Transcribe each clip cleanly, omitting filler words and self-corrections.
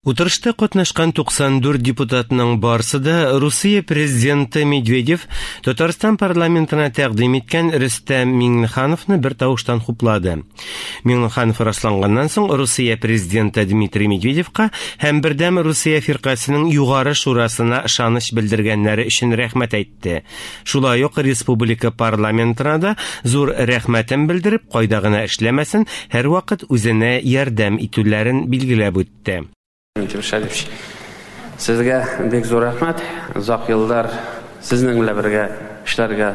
Утырышта катнашкан 94 депутатның барсы да Русия президенты Медведев Татарстан парламентына тәкъдим иткән Рөстәм Миңнехановны бер тавыштан хуплады. Миңнеханов расланганнан соң Русия президенты Дмитрий Медведевка һәм Бердәм Русия фиркасенең югары шурасына ышаныч белдергәннәре өчен рәхмәт әйтте. Шулай ук республика парламентына да зур рәхмәтен белдереп, кайда гына эшләмәсен, һәрвакыт үзенә ярдәм итүләрен билгеләп үтте. Минтимер Шәрипович, сезгә бик зур рәхмәт. Озак еллар сезнең белән бергә эшләргә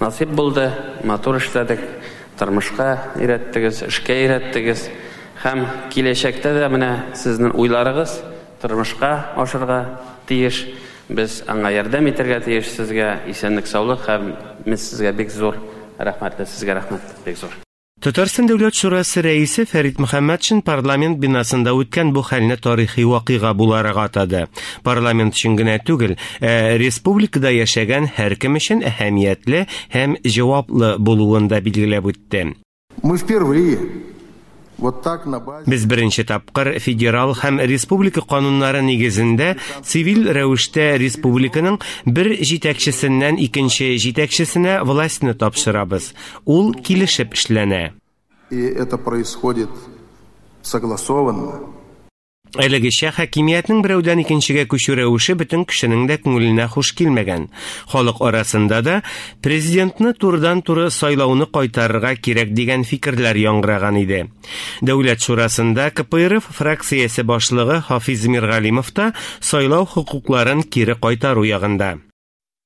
насыйп булды. Матур эшләдек. Тормышка өйрәттегез, эшкә өйрәттегез. Һәм киләчәктә дә менә сезнең уйларыгыз тормышка ашырга тиеш. Без аңа ярдәм итәргә тиеш. Сезгә исәнлек-саулык һәм без сезгә бик зур рәхмәтле. Сезгә рәхмәт бик зур. Татарстан Дәүләт шурасы рәисе Фәрит Мөхәммәтшин парламент бинасында үткән бу хәлне тарихи вакыйга буларак атады. Парламент өчен генә түгел, ә республикада яшәгән һәркем өчен әһәмиятле һәм җаваплы булуын да билгеләп үтте. Мы впервые вот так на базе Без беренче тапкыр федерал һәм республика кануннары нигезендә цивиль рәвештә республиканың бер җитәкчесеннән икенче җитәкчесенә властьны тапшырабыз. Ул килешеп эшләнә. И это происходит согласованно. Әлегечә хакимиятнең берәүдән икенчегә күчү рәвеше бөтен кешенең дә күңеленә хуш килмәгән. Халык арасында да президентны турыдан-туры сайлауны кайтарырга кирәк дигән фикерләр яңгыраган иде. Дәүләт шурасында КПРФ фракциясе башлыгы Хафиз Миргалимов та сайлау хокукларын кире кайтару ягында.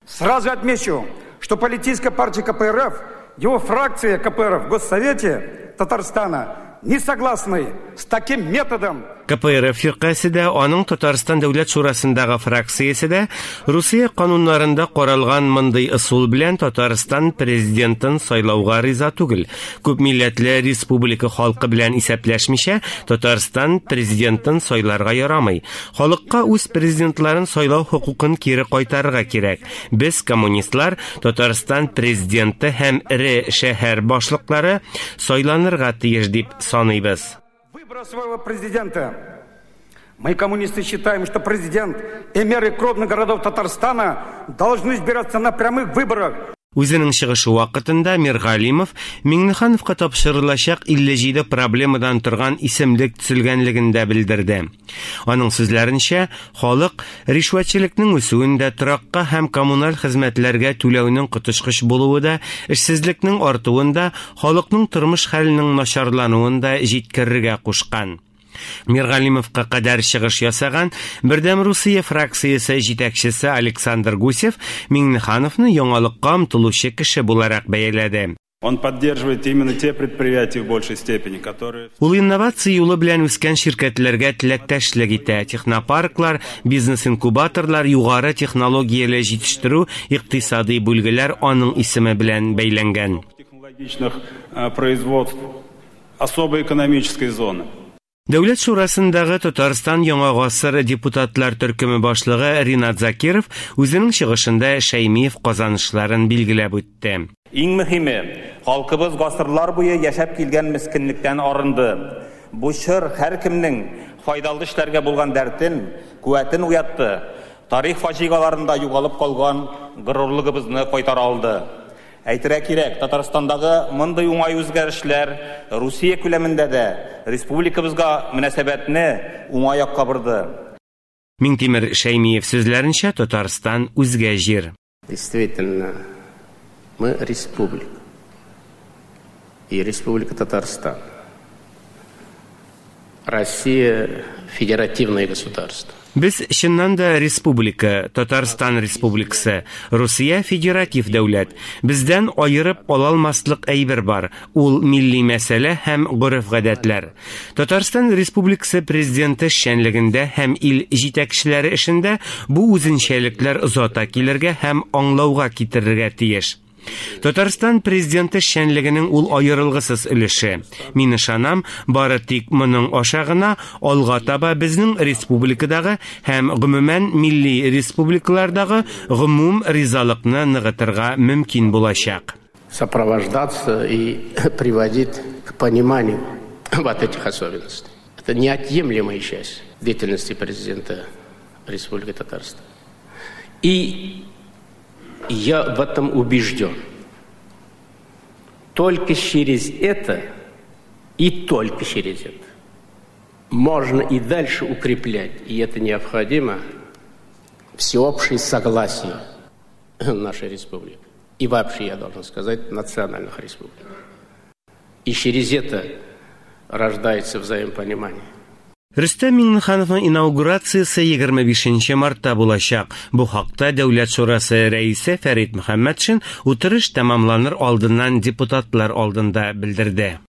Сразу отмечу, что политическая партия КПРФ, его фракция КПРФ в Госсовете Татарстана не согласны с таким методом. КПРФ фиркасе дә, аның Татарстан Дәүләт шурасындагы фракциясе дә Русия кануннарында каралган мондый ысул белән Татарстан президентын сайлауга риза түгел. Күп милләтле республика халкы белән исәпләшмичә Татарстан президентын сайларга ярамый. Халыкка үз президентларын сайлау хокукын кире кайтарырга кирәк. Без, коммунистлар, Татарстан президенты һәм эре шәһәр башлыклары сайланырга тиеш дип саныйбыз. Выбора своего президента. Мы, коммунисты, считаем, что президент и мэры крупных городов Татарстана должны избираться на прямых выборах. Үзенең чыгышы вакытында Миргалимов Миңнехановка тапшырылачак 57 проблемадан торган исемлек төзелгәнлеген дә белдерде. Аның сүзләренчә, халык ришвәтчелекнең үсүен дә, торакка һәм коммуналь хезмәтләргә түләүнең коточкыч булуы да, эшсезлекнең артуын да, халыкның тормыш хәленең начарлануын да җиткерергә кушкан. Миргалимовка кадәр чыгыш ясаган Бердәм Русия фракциясе җитәкчесе Александр Гусев Миңнехановны яңалыкка омтылучы кеше буларак бәяләде. Он поддерживает именно те предприятия в большей степени, которые Ул инновация юлы белән үскән ширкәтләргә теләктәшлек итә. Технопарклар, бизнес-инкубаторлар, югары технологияле җитештерү, икътисади бүлгеләр аның исеме белән бәйләнгән. Технологичных производств особой экономической зоны. Дәүләт шурасындагы Татарстан Яңа гасыр депутатлар төркеме башлыгы Ринат Закиров үзенең чыгышында Шәймиев казанышларын билгеләп үтте. Иң мөһиме, халкыбыз гасырлар буе яшәп килгән мескенлектән арынды. Бу чор һәркемнең файдалы эшләргә булган дәртен, куәтен уятты. Тарих фаҗигаларында югалып калган горурлыгыбызны кайтара алды. Әйтергә кирәк, Татарстандагы мондый уңай үзгәрешләр Русия күләмендә дә республикабызга мөнәсәбәтне уңай якка борды. Миңтимер Шәймиев сүзләренчә, Татарстан үзгә җир. Действительно, мы республика. И Республика Татарстан. Россия федеративное государство. Без чыннан да республика, Татарстан Республикасы, Русия федератив дәүләт. Бездән аерып ала алмаслык әйбер бар. Ул милли мәсьәлә һәм гореф-гадәтләр. Татарстан Республикасы президенты эшчәнлегендә һәм ил җитәкчеләре эшендә бу үзенчәлекләр озата килергә һәм аңлауга китерергә тиеш. Татарстан президенты эшчәнлегенең ул аерылгысыз өлеше. Мин ышанам, бары тик моның аша гына алга таба безнең республикадагы һәм гомумән милли республикалардагы гомум ризалыкны ныгытырга мөмкин булачак. Сопровождаться и приводить к пониманию вот этих особенностей. Это неотъемлемая часть. Деятельности президента Республики Татарстан. И я в этом убежден. Только через это и только через это можно и дальше укреплять, и это необходимо, всеобщее согласие нашей республики. И вообще, я должен сказать, национальных республик. И через это рождается взаимопонимание. Рөстәм Миңнехановның инаугурациясе 25 нче мартта булачак. Бу хакта Дәүләт шурасы рәисе Фәрит Мөхәммәтшин утырыш тәмамланыр алдыннан депутатлар алдында белдерде.